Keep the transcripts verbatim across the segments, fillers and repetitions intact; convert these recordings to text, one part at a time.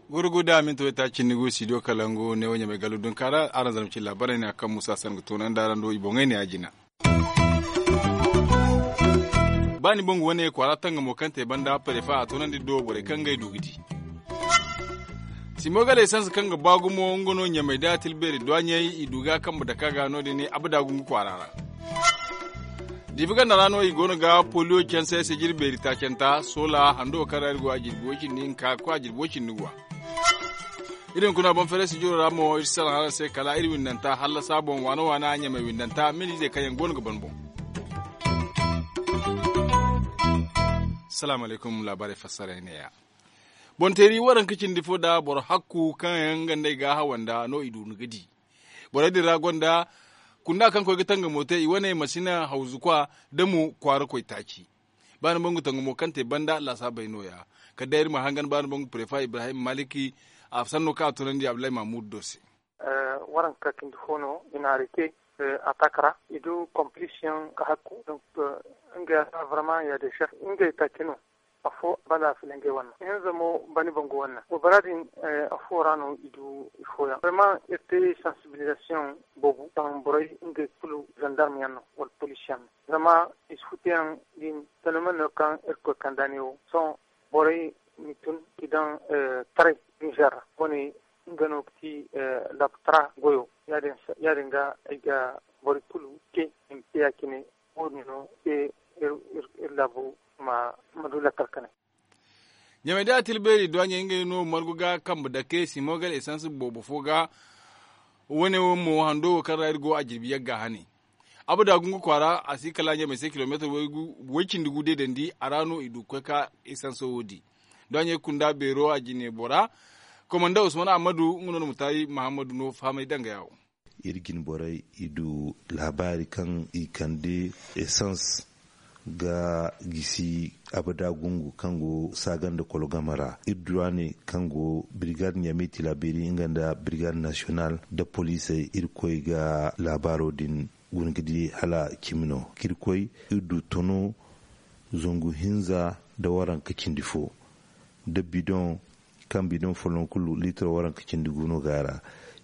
Gurgu da minti wayta cindi gu studio kalangu ne wo ɲamay gallu dunka ra araŋ zarma cine laabaarey ne a kaŋ musa sanga toonandi araŋ do i boŋey ne a jina. Ba ni bangu wane kwaara tangamo kaŋ te banda parefa a toonandi do borey kaŋ ngey du ga di. Simogaley sansa kaŋ ga ba gumo nga no ɲamay da tilbeeri duwaɲey i du ga kambe dake a ga no- din abada gungu kwaara ra. Diifa ganda ra no i go no ga poliyo canse sijiri beeri taacanta soola hando kaŋ ra iri go a jirbi way cindi hinka ga koy a jirbi way cindi guwa. Iri hunkuna boŋ feeray sijiro ra mo iri si salaŋ araŋ se kala iri windanta hallasa boŋ waana waana ɲamay windanta mili izey kaŋ yaŋ go no ga ban boŋ. Salaamu alaykum laabaarey fassaray neeya. Boŋ teeri waranka cindi fo nda boro hakku kaŋ yaŋ nga nd'ey ga hawanda no i du ni ga di. Borey din ra gonda kunda kaŋ koy ga tangamo te i wane masina hawzu kwa da mo kwaara koy taaci. Ba ni bangu tangamo kaŋ te banda laasaabey no- ya. Kala day iri ma hangan ba ni bangu prefa ibrahim maliki a sanno kaŋ a tunandi abdullahi mahmud do se. Waranka cindi fo no i na hari te atak ra i du kompliisi yaŋ ka hakku. Ngey a ta barama ya de sef ngey taaci no. Afo banda a filaŋ ngey wanna hinza mo bani bangu wanna wo bara din. Afo ra no i du i fooyaŋ barama iri te sansibilizasiyoŋ boobo kaŋ borey ngey kulu zandarma yaŋ no wala poliisi yaŋ no. Zama i si futuyaŋ din tanaman no kaŋ iri koy kand'a ne wo sohõ borey ma tun ga daŋ taray nizer ra wane nga no ga ti labtara goyo. Ya- din ga ay ga boro kulu te i ma te ya- cine wo- din no se iri laabu ma du lakkal kane. Ɲamay da atilbeeri duwaɲey ngey no margu ga kambe dake simogal esans boobo fo ga. Wane wo mo hando wo kaŋ ra iri go a jirbi yagga hane. Abada gungu kwaara a si kala ɲamay se kilomeetar way cindi gu deedandi a ra no i du ga koy ka esanso wo di. Duwaɲey kunda beero a jine bora komanda usman ahmadu nga no na mutari muhammadu no fahamay danga yawo. Iri jine borey i du laabaari kaŋ i kande esans ga gisi abada gungu kaŋ go saaga nda kolo game ra iri du a ne kaŋ go birgaad ɲamey tilaabiri nga nda birgaad nasiyonal nda poliisey iri koy ga laabaaro din guna ga di hala cimi no kaŋ iri koy iri du tono zangu hinza nda waranka cindi fo nda bidoŋ kaŋ bidoŋ folloŋ kulu liitiro waranka cindi gu no ga a ra.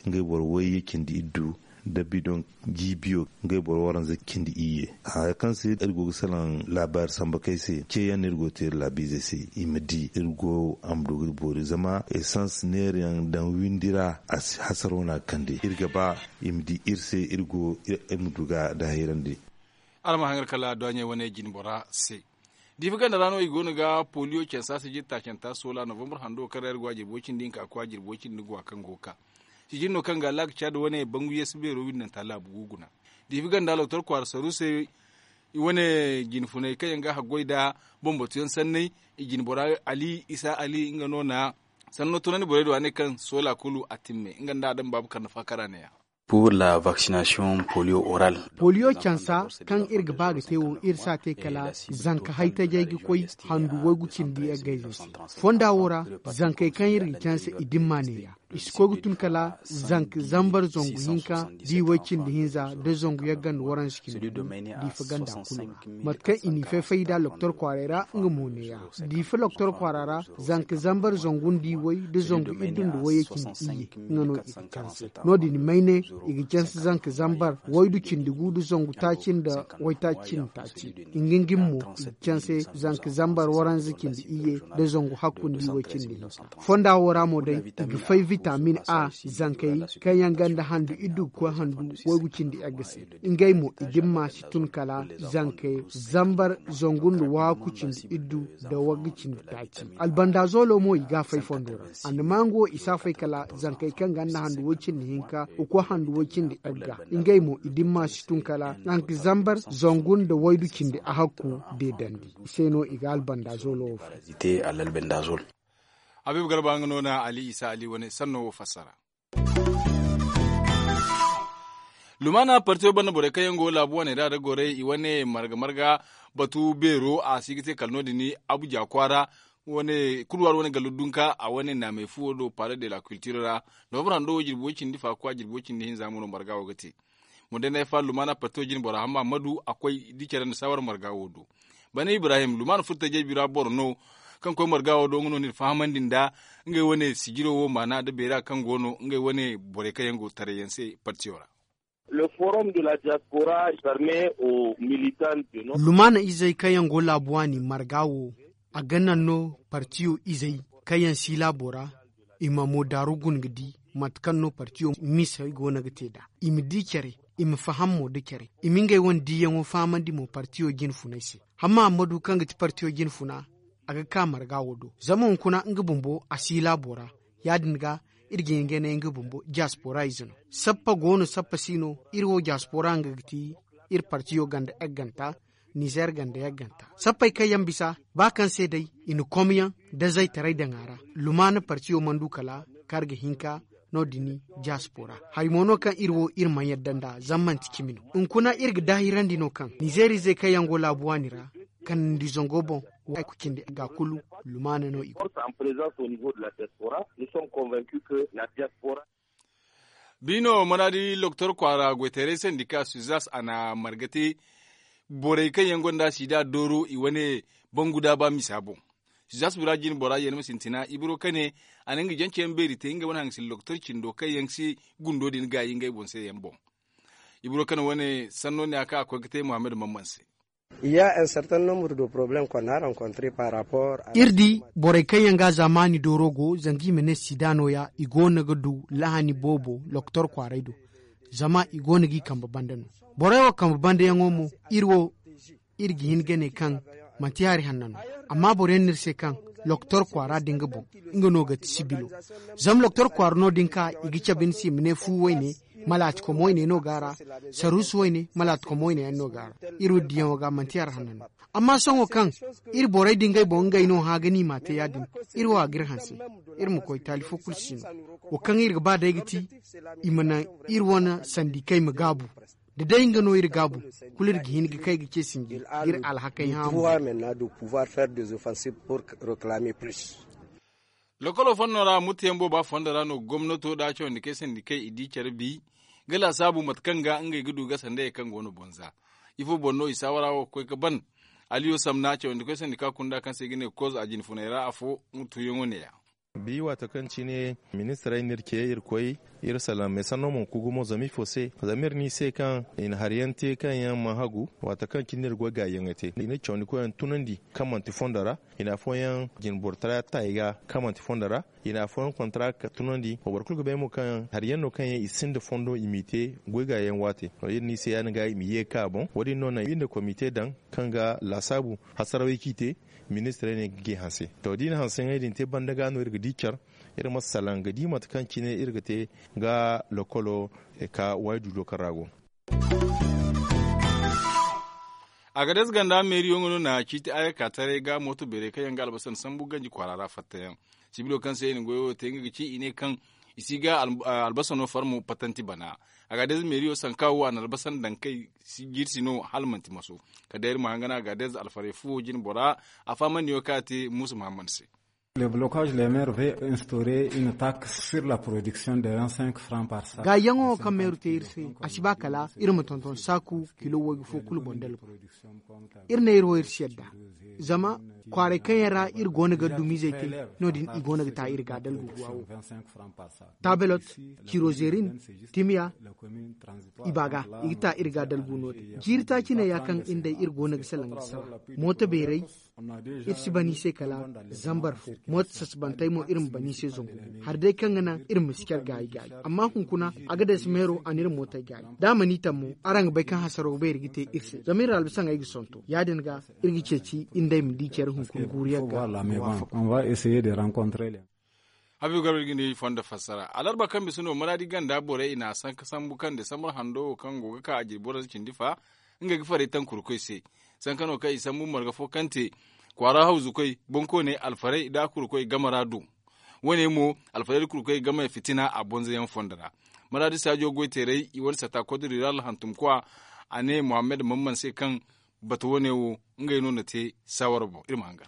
Ngey boro wayye cindi iddu nda bidoŋ jiibiyo ngey boro waranza cindi iyye. Haya kaŋ se iri go ga salaŋ laabaari samba kay se ceeyaŋ no iri go ga te iri laabiizey se i ma di iri go a ma du ga iri boori zama esans neerayaŋ daŋ windi ra a si hasaro no a ga kande iri ga ba i ma di iri se iri go iri ma du ga a daahirandi. Araŋ ma haŋ iri kala duwaɲey wane jine bora se. Diifa ganda ra no i go no ga poliyo cansa sijir taacanta soola novambar hando kaŋ ra iri go a jirbi way cindi hinka ga koy a jirbi way cindi guwa kaŋ go ga ka. Sijir no kaŋ ga laaka caadi wane bangu yeesu beero windanta laabu gu guna. Diifa ganda loktor kwaara saru se i wane jine funay kaŋ yaŋ ga haggoy nda bambatuyaŋ sanney. I jine bora ali isa ali nga no na sanno tunandi borey do a ne kaŋ soola kulu a timme nga nda adama baabu karna faakara ne ya. Pour la vaccination polio oral. Poliyo cansa kaŋ iri ga ba ga te wo iri si a te kala zanka haytajey ga koy handu waygu cindi yaggayze se. Fonda wo ra zankey kaŋ iri ga canse i dimma neeya i si koy ga tun kala zanka zambar zangu hinka da i way cindi hinza da zangu yagga nda waranza cindi gu. Diifa ganda kulu ra mate kaŋ i n'i fay-fay nd'a loktor kwaaray ra nga mo neeya. Diifa loktor kwaara ra zanka zambar zangu nda i way da zangu iddu nda wayye cindi iyye. Nga no i ga canse no- din mayne i ga canse zanka zambar waydu cindi gu nda zangu taaci nda waytaaci cindi taaci. Nga nga mo i ga canse zanka zambar waranza cindi iyye nda zangu hakku nda i way cindi hinka. Fonda wo ra mo day i ga fay vitamin a zankey kaŋ yaŋ ganda handu iddu ga koy handu waygu cindi yagga se. Ngey mo i dimma si tun kala zanka zambar zangu nda waaku cindi iddu nda wagga cindi taaci. Albandazolo mo i ga a fay fondo ra. Annamangu wo i si a fay kala zankey kaŋ ganda handu way cindi hinka ga koy handu way cindi yagga. Ngey mo i dimma si tun kala zanka zambar zangu nda waydu cindi ahakku deedandi. I se no i ga albandazolo wo fay. Habiibu garba nga no na ali isa ali wane sanno wo fassara. Lumaana partiyo banda borey kaŋ yaŋ go laabu wane ra da gorey i wane marga marga batu beero a si ga te kala no- din abuja kwaara. Wane kulu waari wane gallu dunka a wane naamay fuwo do paale de la kultiro ra. Novambar hando wo jirbi way cindi faakwa jirbi way cindi hinza mo no marga wo ga te. Mo day na ay fa lumaana partiyo jine bora hamma madu a koy di care nda saawar marga wo do. Bana ibrahim lumaana furtajey bira boro no kaŋ koy marga wo do nga no n'iri fahamandi nda ngey wane sijiro wo maana nda beera kaŋ go no ngey wane borey kaŋ yaŋ go taray yaŋ se partiyo ra. Lumaana izey kaŋ yaŋ go laabu waani marga wo a ga naŋ no partiyo izey kaŋ yaŋ si laabo ra i ma mo daaru guna ga di mate kaŋ no partiyo misey go no ga te nd'a. I ma di care i ma faham mo nda care i ma ngey wane diiyaŋo fahamandi mo partiyo jine funay se. Hamma hammadu kaŋ ga ti partiyo jine funa a ga ka marga wo do zama hunkuna nga bumbo a si laabo ra. Ya- din ga iri ga hin ga ne nga bumbo diaspora ize no. Sappa go no sappa si no. Iri wo diaspora nga ga ti iri partiyo ganda yagganta nizer ganda yagganta. Sappey kaŋ yaŋ bisa ba kaŋ se day i na komyaŋ da zaytaray daŋ a ra. Lumaana partiyo mana du kala kaŋ a ga hin ka no- din diaspora hari mo no kaŋ iri wo iri mana yadda nd'a zama manti cimi no. Hunkuna iri ga daahirandi no kaŋ nizer izey kaŋ yaŋ go laabu waani ra kanandi zango boŋ wo ay ku cindi ga kulu lumaana no i go. Biino mana di loktor kwaara goytaray sandika suzas a na marga te borey kaŋ yaŋ gonda sida dooro i wane bangu daaba misa boŋ. Suzas bira jine bora yee ni ma sintina ibiro kane a na nga janceyaŋ beeri te nga wane haŋ ga sinda loktor cindo kaŋ yaŋ si gundo din gaayi ngey boŋ se yaŋ boŋ. Ibiro kane wane sanno ne a kaŋ a koy ga te muhammad mamman se. Iri di borey kaŋ yaŋ ga a zaamaani dooro go zanga i ma ne sida no- ya i go no ga du lahani boobo loktor kwaaray do. Zama i go no g'i kambe banda no. Borey wo kambe bandayaŋo mo iri wo iri ga hin ga ne kaŋ manti hari hanna no. Amma boro yaŋ no iri se kaŋ loktor kwaara din ga boŋ nga no ga ti sibilo. Zama loktor kwaara no din ka i ga cabe ni se i ma ne fu wayne malaatikom wayne no go a ra. Saruusu wayne malaatikom wayne yaŋ no go a ra. Iri wo diyaŋo ga manti hari hanna no. Amma sohõ kaŋ iri borey din ngey boŋ ngey no hã ga ni m'a te ya- din iri wo a ga iri hanse. Iri ma koy taali fo kulu si no. Wo kaŋ iri ga ba day ga ti i ma naŋ iri wane sandikey ma gaabu. Da day nga no iri gaabu kulu iri ga hin ga kay ga ce sinji ga iri alhakey hã. Lokolo fondo ra murtayaŋ booba fondo ra no gomnato da cawandi kay sandi kay i di care bi ga laasaabu mate kaŋ ga ngey ga du ga sandayey kaŋ go no bonza. Ifo boŋ no i saawara wo ga koy ga ban? Aliyo samna cawandi koy sandi ka kunda kaŋ se i ga ne koz a jine funay ra afo. Murtuyaŋo ne- ya. Bi waato kaŋ cine ministirey no iri ce iri koy iri salaŋ meesanno mana ku gumo zama ifo se? Zama iri ne i se kaŋ i na hari yaŋ te kaŋ yaŋ mana hagu. Waato kaŋ cine iri goy gaayi yaŋey te i na cawandi koy yaŋ tunandi kaŋ manti fondo ra. I na afooyaŋ jinboro tara ta i ga kaŋ manti fondo ra. I na afooyaŋ kontara ka tunandi wa boro kulu ga bay mo kaŋ hari yaŋ no kaŋ yaŋ i sinda fondo i m'i te. Goy gaayi yaŋ waate iri ne i se ya- din ga i ma ye ga ka a boŋ wo- din no naŋ iri na komite daŋ kaŋ ga laasaabu hasarawey kaŋ i te. Ministirey ne ga gay hanse to da i na hanseyaŋey din te banda ga no iri ga di care. Iri ma salaŋ ga di mate kaŋ cine iri ga te ga lokolo ka waayi du do kaŋ ra go. Agades ganda meeriyo nga no na ciiti ayaka taray ga mooto beerey kaŋ yaŋ ga albasan sambu ganji kwaara ra fattayaŋ. Sibilo kaŋ se i na goyo wo te nga ga ci i ne kaŋ i si ga albasano farmo patanti bana. Agades meeriyo sanka wo a na albasan daŋ kay jiiri si no hala manti maso. Kala day iri ma hangana agades alfaray fuwo jine bora a fahamandiyaŋo kaŋ a te muusa muhammad se. Gaayaŋo kaŋ meeru te iri se a si ba kala iri ma tonton saaku kilo waygu fo kulu boŋ dalgu. Iri ne iri wo iri si yadda zama kwaaray kaŋ yaŋ ra iri go no ga dumizey te no- din i go no ga ta iri ga dalgu guwa wo. Tabelot, cirozerin, timiya, i ba ga i ga ta iri ga dalgu no- din jiiri taaci ne ya kaŋ iri day iri go no ga salaŋ ga sara. Mooto beeray iri si ban i se kala zambar fo. Mooto sasabantey mo iri ma ban i se zangu gu hari day kaŋ ga naŋ iri ma si care gaayi gaayi. Amma hunkuna a ga day si meero a na iri mootey gaayi da a mana i taŋ mo araŋ ga bay kaŋ hasaro ga bay iri ga te iri se zama iri albasaŋey ga sonto ya- din ga iri ga ceeci iri nd'ey ma di care hunkuna guuru yaŋ ga. Habibu garba iri ga ni fondo fassara alarba kaŋ bisa no maraadi ganda borey i na a sanka sambu kaŋ desambar hando wo kaŋ go ga ka a jirbi waranza cindi fa. Ngey ga farey taŋ kurkoy se. Sanka no kaŋ i sambu marga fo kaŋ te kwaara hawzukoy boŋkooney alfarey nda kurkoy game ra do. Wo- ne mo alfarey nda kurkoy game fitina a bonzayaŋ fondo ra. Maraadi saajo goyteerey i wane sata kodiriral hantumkwa a ne muhammad mamman se kaŋ batu wo- ne wo ngey no na te saawara boŋ iri ma hangan.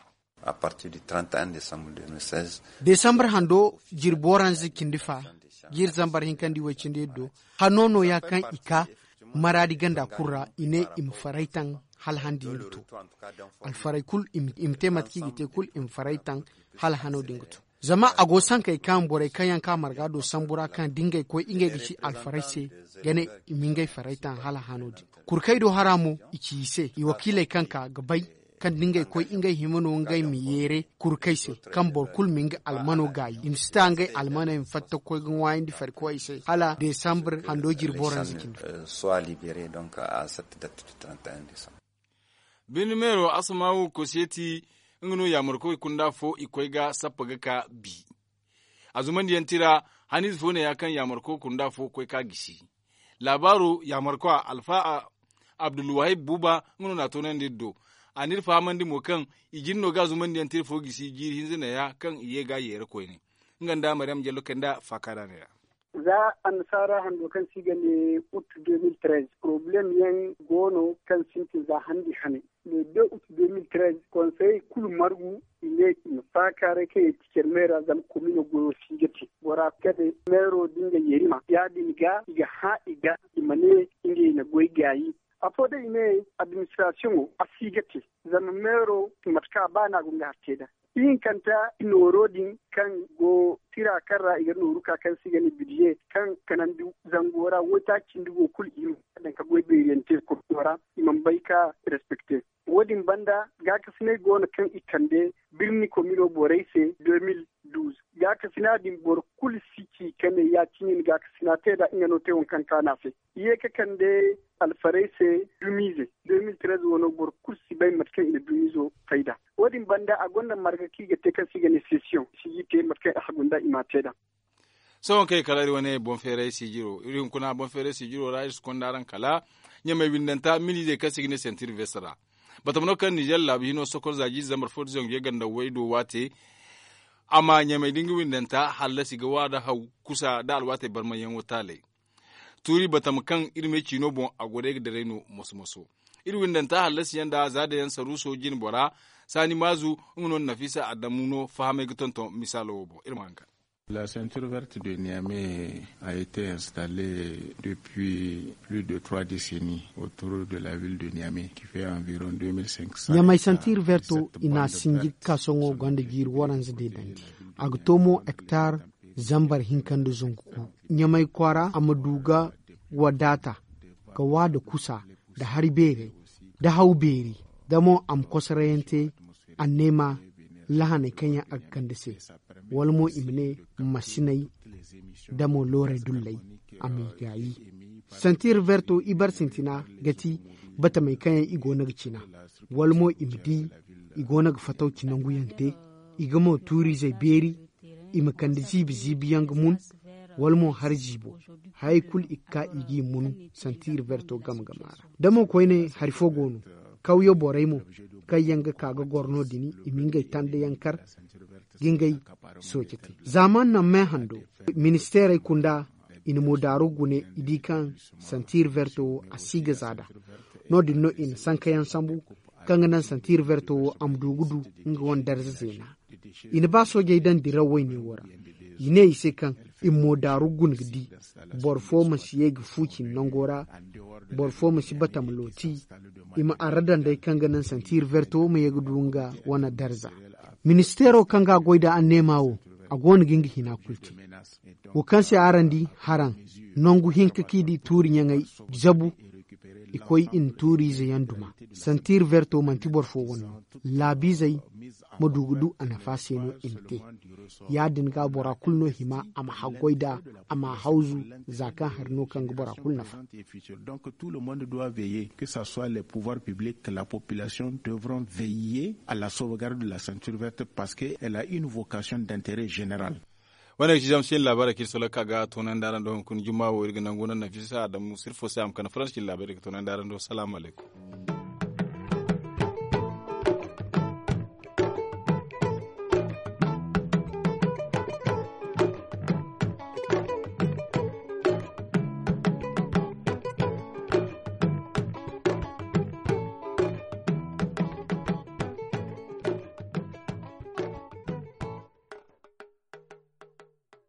Desambar hando jirbi waranza cindi fa, jiiri zambar hinkandi way cindi yaddo, hanno no ya kaŋ i ka maraadi ganda kulu ra, i ne i ma faray taŋ hala handi nga to. Alfaray kulu i ma te mate kaŋ i ga te kulu i ma faray taŋ hala hano din ga to. Zama a go sankey kaŋ borey kaŋ yaŋ ka marga do sambu ra kaŋ da ngey koy ngey ga ci alfaray se, ga ne i ma ngey faray taŋ hala hano din. Kurkey do hara mo i ci i se i wakiiley kaŋ ka ga bay kaŋ da ngey koy ngey hima no ngey ma yeere kurkey se, kaŋ boro kulu ma nga almano gaayi i ma si ta ngey almaney ma fatta ga koy ga ŋwaayandi farikoy se hala desambar hando jirbi waranza cindi. Birni meero asmaawu kosiyeti, nga no yaamarkoy kunda fo i koy ga sappa ga ka bi. A zumandiyaŋ tira haniize fo ne ya kaŋ yaamarkoy kunda fo koy ka gisi. Laabaaro yaamarkoy alfa abdulwahib buuba nga no na a toonandi iri do. A n'iri fahamandi mo kaŋ i jin no ga a zumandiyaŋ tira fo gisi jiiri hinza ne ya kaŋ i ye ga a yeera koyne. Nga nda maryam jallo kay nda faakaara ne ya. Za annasaara hando kaŋ se i ga ne ut de mil trez poroblem yaŋ go no kaŋ sintin za handi hane. Le de ut de mil trez konsey kulu margu i ne i ma faakaaray kaŋ i ti care meera zama komino goyo si ga te bora kade meero da nga yerima ya- din ga i ga hã i ga i ma ne ngey na goy gaayi. Afo day i ne administrasiyoŋo a si ga te zama meero mate kaŋ a ba no a go nga har te nd'a. Ihinkanta nooro din kaŋ go tira kaŋ ra i ga nooru ka kaŋ se i ga ne bidiye kaŋ kanandi zango ra waytaaci cindi go kulu i ma daŋ ka goy beeriyaŋ te kurto ra i mana bay ka respekte. Wo- din banda gaakasinay go no kaŋ i kande birni komino borey se de mil duuz. Gaakasina din boro kulu si ci ka ne ya- cine i na gaakasina te nd'a nga no te waŋ kaŋ kaanu a se. I ye ka kande alfarey se dumiize de mil trez wano boro kulu si bay mate kaŋ i na dumiizo fay nd'a. Wo- din banda a gonda marga kaŋ i ga te kaŋ se i ga ne sesiyoŋ si ga i te mate kaŋ i hagu nd'a i m'a te nd'a. Sohõ kaŋ i kala iri wane boŋ feeray siijiro iri hunkuna boŋ feeray siijiro ra iri si konda araŋ kala ɲamay windanta miliizey kaŋ se i ga ne sentir vest ra. Batama no kaŋ nizer laabu hino sokol za jiize zambar fo da zangu ye ganda way do waate. A ma ɲamay da nga windanta hallasi ga wa da haw kusa da alwaatey barmanyaŋo taaley. Tuuri batama kaŋ iri me ciino boŋ a go day ga daray no moso moso. Iri windanta hallasi yaŋ da za dayaŋ saruuso jine bora saani maazu. Nga no nafisa adamu no fahamay ga tonton misaalo wo boŋ iri ma haŋ ka. La sentir verte de niame a été installe depuis plus de trois décennies autour de la ville de niame qui fait environ deux mille cinq cents. Ɲamay sentir verto i na sinji ga ka soŋo gonda jiiri waranza de dandi. A ga to mo hektar zambar hinka nda zangu ku. Ɲamay kwaara a ma du ga wadaata ga wa da kusa da hari beerey da haw beeri da mo a ma kosarayaŋ te. Anneema lahaney kaŋ yaŋ a ga kande se wala mo i ma ne masiney da mo loorey dulley a ma i gaayi. Santi roberto ibar sintina ga ti batamey kaŋ yaŋ i go no ga cina wala mo i ma di i go no ga fatawci nangu yaŋ te. I ga mo tuuriizey beeri i ma kande ziibi ziibi yaŋ ga mun wala mo hari ziibo. Hayey kulu i ga ka i g'i mun santi roberto game game a ra. Da mo koyne hari fo go no kawyo borey mo kaŋ yaŋ ga ka ga goro no- din i ma ngey tanda yaŋ kar ga ngey sooce te. Zaaman naŋ me hando ministeerey kunda i na mo daaru gune i di kaŋ santi roberto wo a si ga za da no- din no i na sanka yaŋ sambu kaŋ ga naŋ santi roberto wo a ma du ga du nga wane darza zeena. I na ba soojey daŋ diraw wayne wo ra i ne i se kaŋ i ma mo daaru gune ga di boro fo ma si ye ga fu cine nango ra. Boro fo ma si bata ma looti i ma arra daŋ day kaŋ ga naŋ santi roberto ma ye ga du nga wane darza. Ministeero kaŋ ga a goy da anneema wo a go no ga nga hina kulu te. Wo kaŋ se araŋ di haraŋ nangu hinka kaŋ i di tuuri ɲaŋey zabu i koy i na tuuriize yaŋ duma. Santi roberto manti boro fo wane no laabiizey ma du ga du a nafa se no i ma te. Ya- din ga bora kulu no hima a ma haggoy nd'a a ma a hawzu za kaŋ hari no kaŋ ga bora kulu nafa. Donc tout le monde doit veiller que ce soit les pouvoirs publics que la population devront veiller à la sauvegarde de la ceinture verte parce que elle a une vocation d'intérêt général. Wane ga ci zama se iri laabaarey kaŋ iri soloka ga toonandi araŋ do hunkuna juma wo iri ga nangu naŋ nafisa adamu sirfo se a ma kande faransi iri laabaarey ga toonandi araŋ do salaamu alaykum.